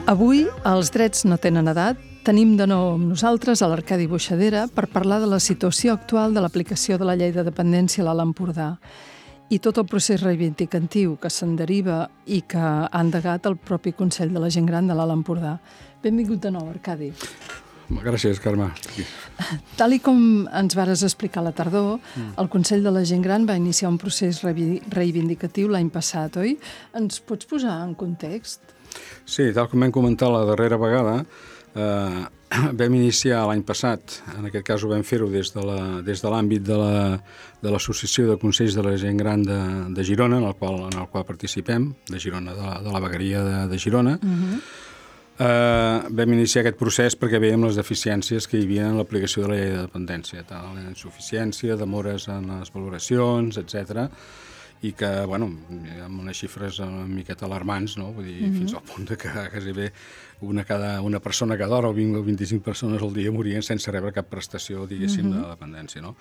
Avui, els drets no tenen edat, tenim de nou amb nosaltres a l'Arcadi Boixadera per parlar de la situació actual de l'aplicació de la llei de dependència a l'Alt Empordà i tot el procés reivindicatiu que se'n deriva i que ha endegat el propi Consell de la Gent Gran de l'Alt Empordà. Benvingut de nou, Arcadi. Gràcies, Carme. Tal i com ens vares explicar a la tardor, el Consell de la Gent Gran va iniciar un procés reivindicatiu l'any passat, oi? Ens pots posar en context? Sí, tal com vam comentar la darrera vegada, vam iniciar l'any passat, en aquest cas ho vam fer-ho des de l'àmbit de l'Associació de Consells de la Gent Gran de Girona, en el qual participem, de Girona, de la vegueria de Girona. Vam iniciar aquest procés perquè veiem les deficiències que hi havia en l'aplicació de la llei de dependència, tal, la insuficiència, demores en les valoracions, etc. I que, bueno, amb unes xifres una miqueta alarmants, no? Vull dir, fins al punt de que quasi bé una persona cada hora o 20 o 25 persones al dia morien sense rebre cap prestació, diguéssim, de dependència, no?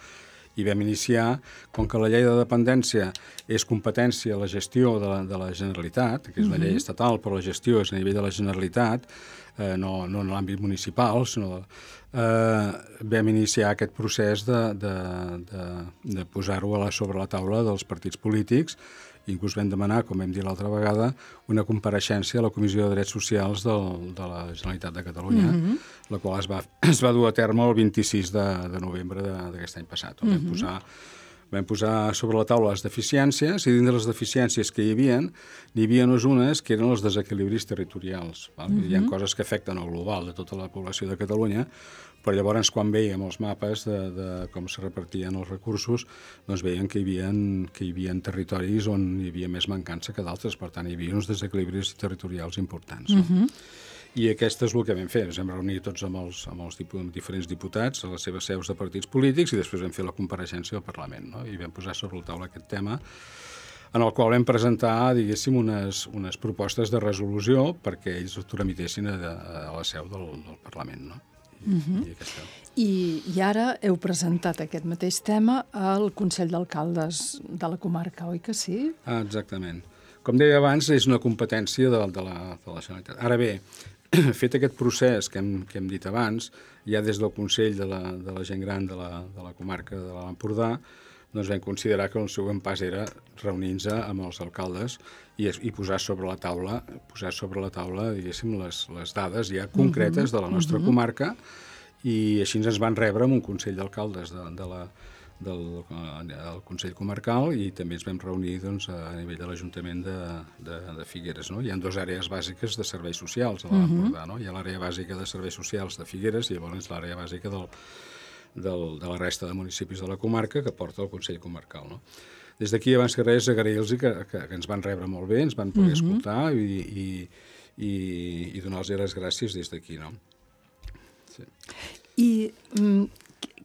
I vam iniciar, com que la llei de dependència és competència a la gestió de la Generalitat, que és una llei estatal, però la gestió és a nivell de la Generalitat, no en l'àmbit municipal, sinó vam iniciar aquest procés de posar-ho sobre la taula dels partits polítics. Inclús vam demanar, com vam dir l'altra vegada, una compareixença a la Comissió de Drets Socials de la Generalitat de Catalunya, la qual es va dur a terme el 26 de novembre d'aquest any passat. Vam posar sobre la taula les deficiències, i dins de les deficiències que hi havia, n'hi havia unes que eren els desequilibris territorials. Hi ha coses que afecten el global de tota la població de Catalunya, però llavors quan veiem els mapes de com se repartien els recursos, doncs veiem que hi havia territoris on hi havia més mancança que d'altres, per tant hi havia uns desequilibris territorials importants. I aquest és el que vam fer. Ens vam reunir tots amb els diferents diputats a les seves seus de partits polítics i després vam fer la compareixença al Parlament, no? I vam posar sobre la taula aquest tema, en el qual vam presentar, diguéssim, unes propostes de resolució perquè ells ho tramitessin a la seu del Parlament, no? I ara heu presentat aquest mateix tema al Consell d'Alcaldes de la comarca, oi que sí? Exactament. Com deia abans, és una competència de la Generalitat. Ara bé, fet aquest procés que hem dit abans, ja des del Consell de la Gent Gran de la comarca de l'Alt Empordà, doncs vam considerar que el següent pas era reunir-nos amb els alcaldes i posar sobre la taula, diguéssim, les dades ja concretes de la nostra comarca, i així ens van rebre amb un Consell d'Alcaldes del Consell Comarcal, i també ens vam reunir doncs, a nivell de l'Ajuntament de Figueres. No? Hi ha dues àrees bàsiques de serveis socials a l'Alt Empordà. No? Hi ha l'àrea bàsica de serveis socials de Figueres i llavors l'àrea bàsica de la resta de municipis de la comarca que porta el Consell Comarcal. No? Des d'aquí, abans que res, agrair-los que ens van rebre molt bé, ens van poder escoltar i donar-los les gràcies des d'aquí. No? Sí. I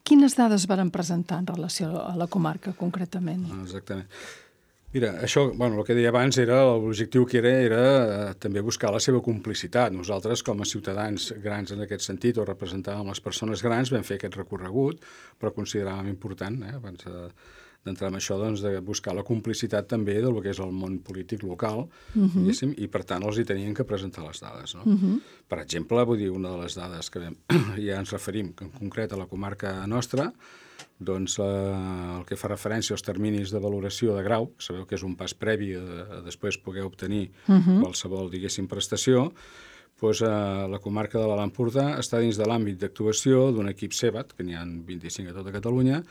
quines dades varen presentar en relació a la comarca, concretament? Exactament. Mira, això, el que deia abans, l'objectiu que era també buscar la seva complicitat. Nosaltres, com a ciutadans grans en aquest sentit, o representàvem les persones grans, vam fer aquest recorregut, però consideràvem important, abans d'entrar en això, doncs, de buscar la complicitat també del que és el món polític local, diguéssim, i per tant els hi tenien que presentar les dades. No? Per exemple, vull dir, una de les dades que ja ens referim en concret a la comarca nostra, doncs el que fa referència als terminis de valoració de grau, sabeu que és un pas previ a després poder obtenir qualsevol, diguéssim, prestació, doncs la comarca de l'Alt Empordà està dins de l'àmbit d'actuació d'un equip CEBAT, que n'hi ha 25 a tota Catalunya,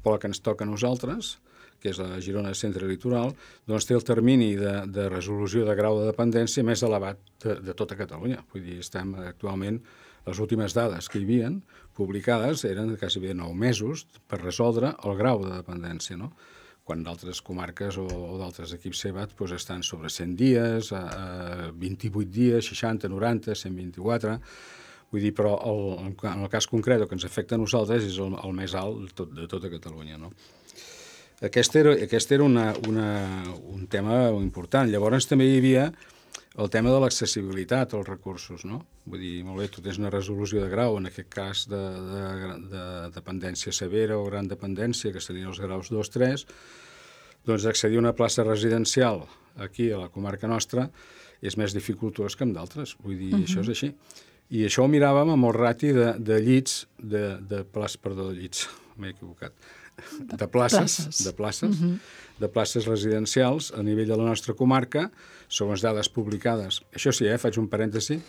però la que ens toca a nosaltres, que és la Girona Centre Litoral, doncs té el termini de resolució de grau de dependència més elevat de tota Catalunya. Vull dir, estem actualment, les últimes dades que hi havia publicades eren de quasi 9 mesos per resoldre el grau de dependència, no? Quan d'altres comarques o d'altres equips CEBAT doncs estan sobre 100 dies, 28 dies, 60, 90, 124... Vull dir, però en el cas concret que ens afecta a nosaltres és el més alt de tota Catalunya, no? Aquest era un tema important. Llavors també hi havia el tema de l'accessibilitat als recursos, no? Vull dir, molt bé, tu tens una resolució de grau, en aquest cas de dependència severa o gran dependència, que serien els graus 2, 3, doncs accedir a una plaça residencial aquí a la comarca nostra és més dificultós que amb d'altres. Vull dir, això és així. I això ho miràvem amb el rati de llits, de llits, m'he equivocat, de places residencials a nivell de la nostra comarca, segons dades publicades. Això sí, faig un parèntesi,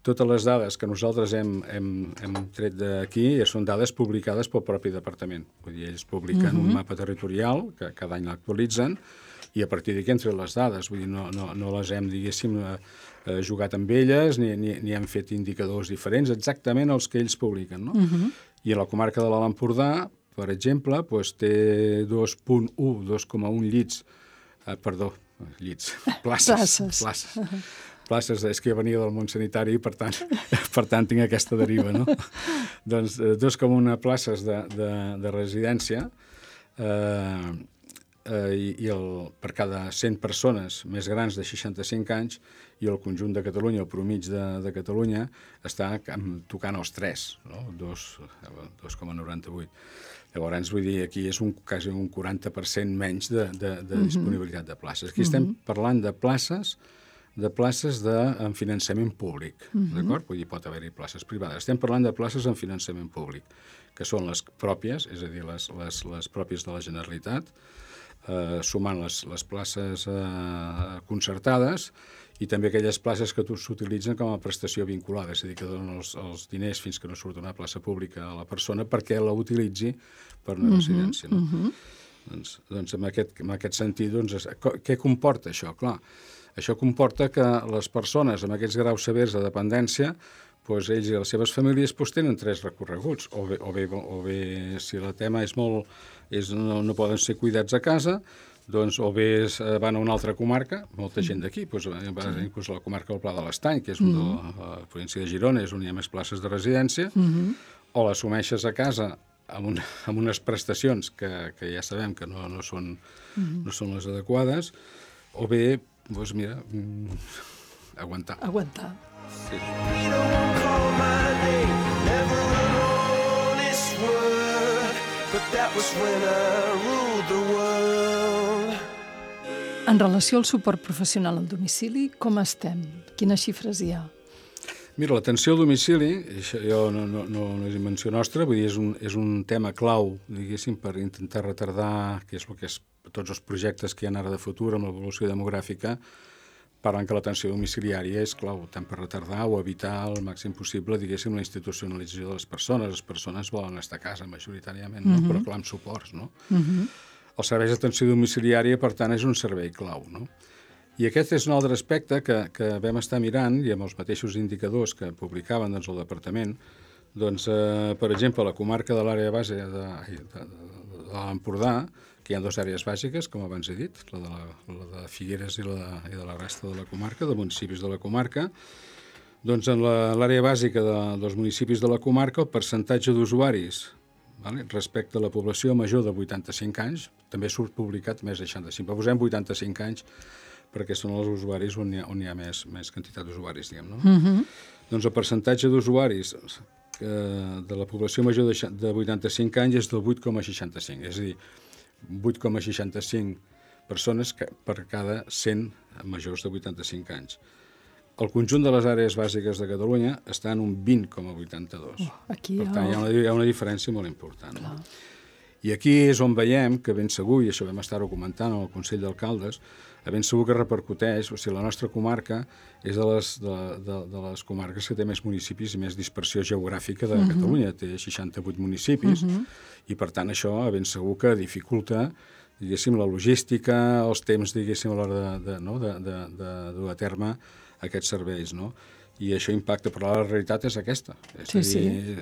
totes les dades que nosaltres hem tret d'aquí són dades publicades pel propi departament. Vull dir, ells publiquen un mapa territorial, que cada any l'actualitzen, i a partir d'aquí hem tret les dades. Vull dir, no les hem, diguéssim, jugat amb elles, ni hem fet indicadors diferents, exactament els que ells publiquen, no? I a la comarca de l'Alt Empordà, per exemple, té 2,1 llits, places, és que jo venia del món sanitari i per tant tinc aquesta deriva, no? Doncs 2,1 places de residència per cada 100 persones més grans de 65 anys, i el conjunt de Catalunya, el promig de Catalunya, està tocant els 3, no? 2,98. Llavors, vull dir, aquí és quasi un 40% menys de disponibilitat de places. Aquí estem parlant de places amb finançament públic, d'acord? Vull dir, pot haver-hi places privades. Estem parlant de places amb finançament públic, que són les pròpies, és a dir, les pròpies de la Generalitat, sumant les places concertades i també aquelles places que s'utilitzen com a prestació vinculada, és a dir, que donen els diners fins que no surt una plaça pública a la persona perquè la utilitzi per una residència. No? Doncs en aquest sentit, què comporta això? Clar, això comporta que les persones amb aquests graus severs de dependència, ells i les seves famílies tenen 3 recorreguts, o bé si el tema no poden ser cuidats a casa, doncs o bé van a una altra comarca, molta gent d'aquí, inclús a la comarca del Pla de l'Estany, que és de la província de Girona, és on hi ha més places de residència, o l'assumeixes a casa amb unes prestacions que ja sabem que no són les adequades, o bé, doncs mira, aguantar. Aguantar. Sí. En relació al suport professional al domicili, com estem? Quines xifres hi ha? Mira, l'atenció al domicili, això no és invenció nostra, vull dir, és un tema clau, diguéssim, per intentar retardar, que és tots els projectes que hi ha ara de futur amb l'evolució demogràfica, parlant que l'atenció domiciliària és clau, tant per retardar o evitar al màxim possible, diguéssim, la institucionalització de les persones. Les persones volen estar a casa majoritàriament, no? Però clar, amb suports, no? Els serveis d'atenció domiciliària, per tant, és un servei clau, no? I aquest és un altre aspecte que vam estar mirant, i amb els mateixos indicadors que publicaven el departament, per exemple, a la comarca de l'àrea base de l'Empordà, que hi ha 2 àrees bàsiques, com abans he dit, la de Figueres i de la resta de la comarca, de municipis de la comarca. Doncs en l'àrea bàsica dels municipis de la comarca, el percentatge d'usuaris respecte a la població major de 85 anys, també surt publicat més de 65, però posem 85 anys perquè són els usuaris on hi ha més quantitat d'usuaris, diguem, no? Doncs el percentatge d'usuaris de la població major de 85 anys és del 8,65, és a dir, 8,65 persones per cada 100 majors de 85 anys. El conjunt de les àrees bàsiques de Catalunya està en un 20,82. Per tant, hi ha una diferència molt important. No? I aquí és on veiem que ben segur, i això vam estar-ho comentant al Consell d'Alcaldes, ben segur que repercuteix, o sigui, la nostra comarca és de les comarques que té més municipis i més dispersió geogràfica de Catalunya. Té 68 municipis i, per tant, això ben segur que dificulta, diguéssim, la logística, els temps, diguéssim, a l'hora de dur a terme aquests serveis, no? I això impacta, però la realitat és aquesta. És a dir,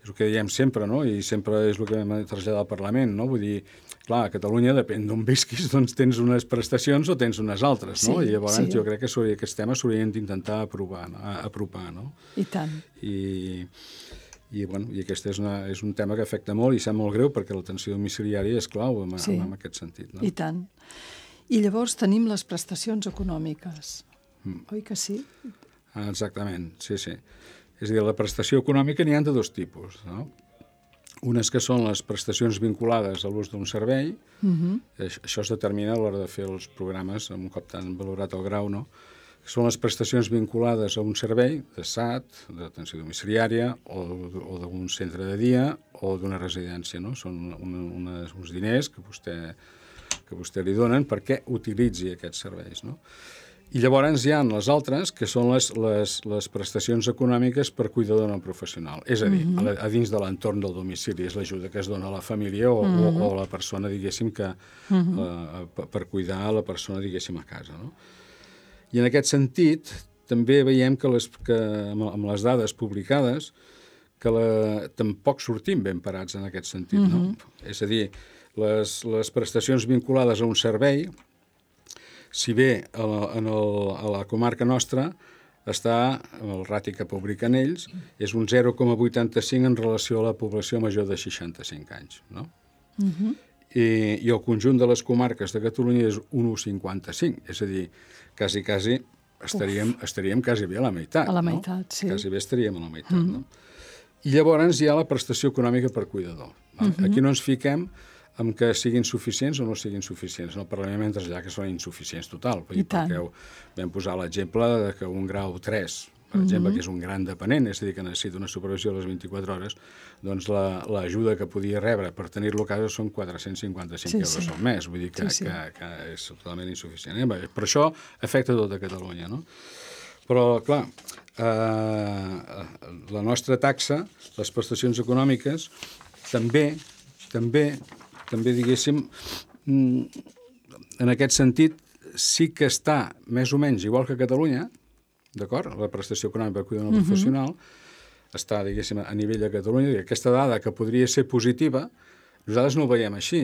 és el que diem sempre, no? I sempre és el que vam traslladar al Parlament, no? Vull dir, clar, a Catalunya, depèn d'on visquis, doncs tens unes prestacions o tens unes altres, no? I llavors jo crec que aquests temes s'haurien d'intentar apropar, no? I tant. I aquest és un tema que afecta molt i sap molt greu perquè l'atenció domiciliària és clau en aquest sentit, no? I tant. I llavors tenim les prestacions econòmiques, oi que sí? Exactament, sí. És a dir, la prestació econòmica n'hi ha de 2 tipus, no? Unes que són les prestacions vinculades a l'ús d'un servei, això es determina a l'hora de fer els programes, un cop tan valorat el grau, no? són les prestacions vinculades a un servei de SAT, d'atenció domiciliària, o d'un centre de dia o d'una residència, no? Són uns diners que vostè li donen perquè utilitzi aquests serveis, no? I llavors hi ha les altres, que són les prestacions econòmiques per cuidador no professional. És a dir, a dins de l'entorn del domicili, és l'ajuda que es dona a la família o a la persona, diguéssim, per cuidar a la persona, diguéssim, a casa, no? I en aquest sentit, també veiem que amb les dades publicades que tampoc sortim ben parats en aquest sentit, no? És a dir, les prestacions vinculades a un servei, si bé a la comarca nostra està, el rati que publiquen ells, és un 0,85 en relació a la població major de 65 anys, no? I el conjunt de les comarques de Catalunya és 1,55, és a dir, quasi estaríem quasi bé a la meitat. A la meitat, no? sí. Quasi bé estaríem a la meitat, no? I llavors hi ha la prestació econòmica per cuidador. Aquí no ens fiquem amb que siguin suficients o no siguin suficients. No parlem mentre allà que són insuficients total. Perquè vam posar l'exemple que un grau 3, per exemple, que és un gran dependent, és a dir, que necessita una supervisió a les 24 hores, doncs l'ajuda que podia rebre per tenir-lo a casa són 455 euros al mes. Vull dir que és totalment insuficient. Per això afecta tota Catalunya, no? Però, clar, la nostra taxa, les prestacions econòmiques, també, diguéssim, en aquest sentit, sí que està més o menys igual que a Catalunya, d'acord? La prestació econòmica per cuidador no professional està, diguéssim, a nivell de Catalunya, i aquesta dada que podria ser positiva, nosaltres no ho veiem així,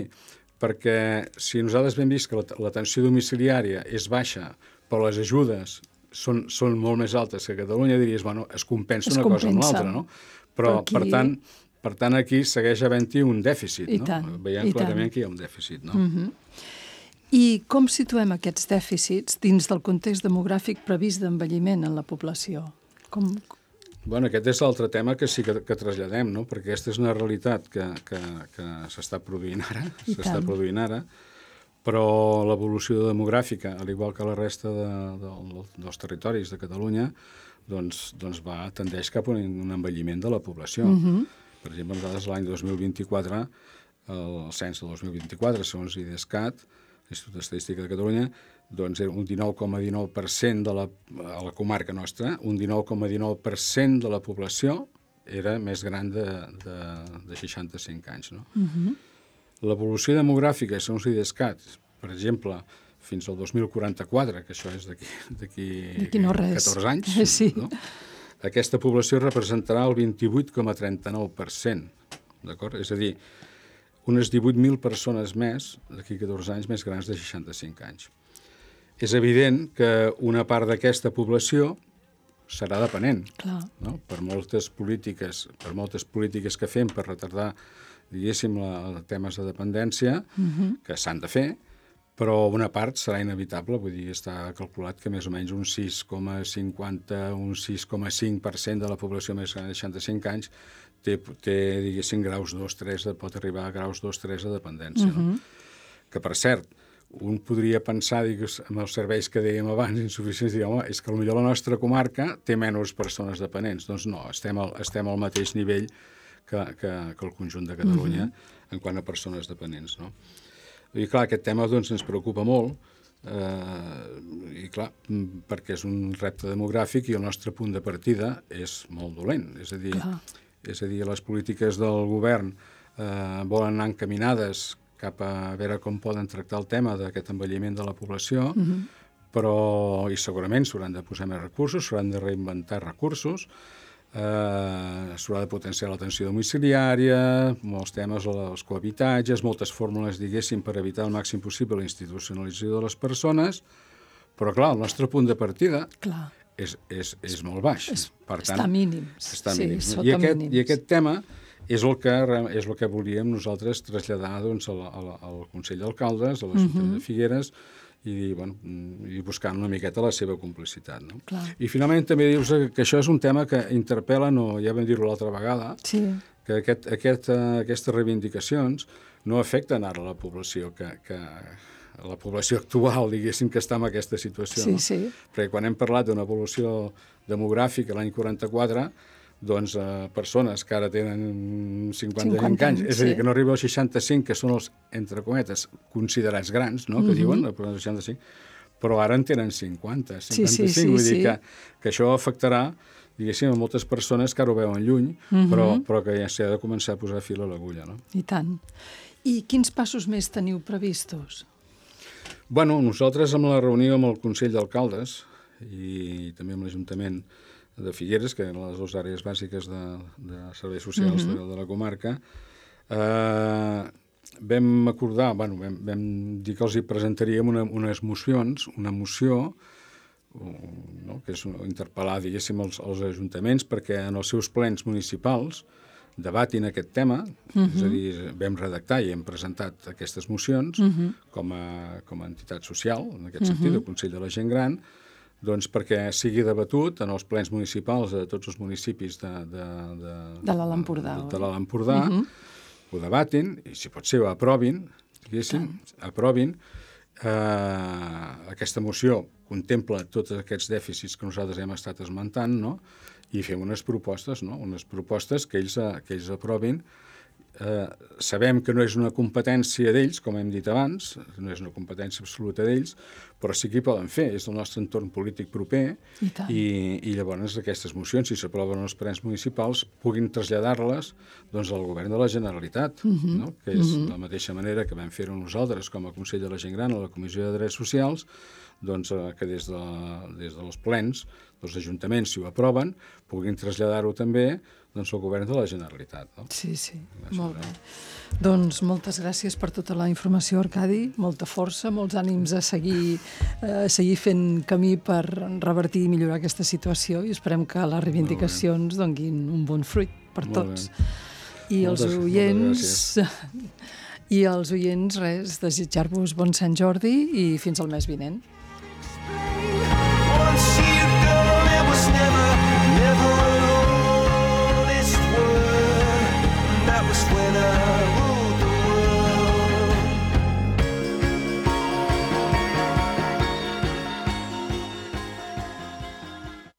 perquè si nosaltres hem vist que l'atenció domiciliària és baixa, però les ajudes són molt més altes que a Catalunya, diries, bueno, es compensa una cosa amb l'altra, no? Però, per tant, aquí segueix havent-hi un dèficit, no? Veiem clarament que hi ha un dèficit, no? I com situem aquests dèficits dins del context demogràfic previst d'envelliment en la població? Bueno, aquest és l'altre tema que sí que traslladem, no? Perquè aquesta és una realitat que s'està produint ara, però l'evolució demogràfica, al igual que la resta dels territoris de Catalunya, doncs tendeix cap a un envelliment de la població. Per exemple, nosaltres l'any 2024, el cens del 2024, segons l'IDESCAT, l'Institut d'Estadística de Catalunya, doncs era un 19,19% a la comarca nostra, un 19,19% de la població era més gran de 65 anys, no? L'evolució demogràfica, segons l'IDESCAT, per exemple, fins al 2044, que això és d'aquí 14 anys, no? Aquesta població representarà el 28,39%, d'acord? És a dir, unes 18.000 persones més, d'aquí 14 anys, més grans de 65 anys. És evident que una part d'aquesta població serà dependent, no? Per moltes polítiques que fem per retardar, diguéssim, temes de dependència, que s'han de fer, però una part serà inevitable, vull dir, està calculat que més o menys un 6,50, un 6,5% de la població més gran de 65 anys té diguéssim, graus 2-3, pot arribar a graus 2-3 de dependència. No? Que, per cert, un podria pensar, amb els serveis que dèiem abans, insuficients, dir, home, és que potser la nostra comarca té menys persones dependents. Doncs no, estem al mateix nivell que el conjunt de Catalunya en quant a persones dependents, no? I, clar, aquest tema doncs, ens preocupa molt, i, clar, perquè és un repte demogràfic i el nostre punt de partida és molt dolent. És a dir, les polítiques del govern volen anar encaminades cap a veure com poden tractar el tema d'aquest envelliment de la població, però i segurament s'hauran de posar més recursos, s'hauran de reinventar recursos, s'haurà de potenciar l'atenció domiciliària, molts temes, els cohabitatges, moltes fórmules, diguéssim, per evitar al màxim possible la institucionalització de les persones, però, clar, el nostre punt de partida és molt baix. Està mínim. I aquest tema és el que volíem nosaltres traslladar doncs, al Consell d'Alcaldes, a l'Ajuntament de Figueres, i buscant una miqueta la seva complicitat. No? I finalment també dir-vos que això és un tema que interpel·la, ja vam dir-ho l'altra vegada, que aquestes reivindicacions no afecten ara la població que la població actual, diguéssim, que està en aquesta situació. Sí, no? sí. Perquè quan hem parlat d'una evolució demogràfica l'any 44, doncs persones que ara tenen 55 anys, és a dir, que no arriba als 65, que són els, entre cometes, considerats grans, no? Que diuen, els 65, però ara en tenen 50, 55, vull dir que això afectarà, diguéssim, a moltes persones que ara ho veuen lluny, però que ja s'ha de començar a posar fil a l'agulla, no? I tant. I quins passos més teniu previstos? Bueno, nosaltres amb la reunió amb el Consell d'Alcaldes i també amb l'Ajuntament de Figueres, que eren les dues àrees bàsiques de serveis socials de la comarca, vam acordar, bueno, vam dir que els hi presentaríem unes mocions, una moció, no?, que és interpel·lar, diguéssim, els ajuntaments perquè en els seus plens municipals debatin aquest tema, és a dir, vam redactar i hem presentat aquestes mocions com a entitat social, en aquest sentit, el Consell de la Gent Gran, doncs perquè sigui debatut en els plens municipals de tots els municipis de l'Alt Empordà. De l'Alt Empordà, ho debatin i, si pot ser, ho aprovin, diguéssim, aprovin. Aquesta moció contempla tots aquests dèficits que nosaltres hem estat esmentant, no?, i fem unes propostes, no?, unes propostes que ells aprovin. Sabem que no és una competència d'ells, com hem dit abans, no és una competència absoluta d'ells, però sí que hi poden fer, és el nostre entorn polític proper, i llavors aquestes mocions, si s'aproven els plens municipals, puguin traslladar-les doncs, al govern de la Generalitat, no?, que és de la mateixa manera que vam fer-ho nosaltres com a Consell de la Gent Gran, a la Comissió de Drets Socials, doncs, que des dels plens, els ajuntaments, si ho aproven, puguin traslladar-ho també doncs, al govern de la Generalitat. No? Sí, molt bé. Doncs moltes gràcies per tota la informació, Arcadi, molta força, molts ànims a seguir fent camí per revertir i millorar aquesta situació i esperem que les reivindicacions donguin un bon fruit per tots. I els oients, res, desitjar-vos bon Sant Jordi i fins al mes vinent.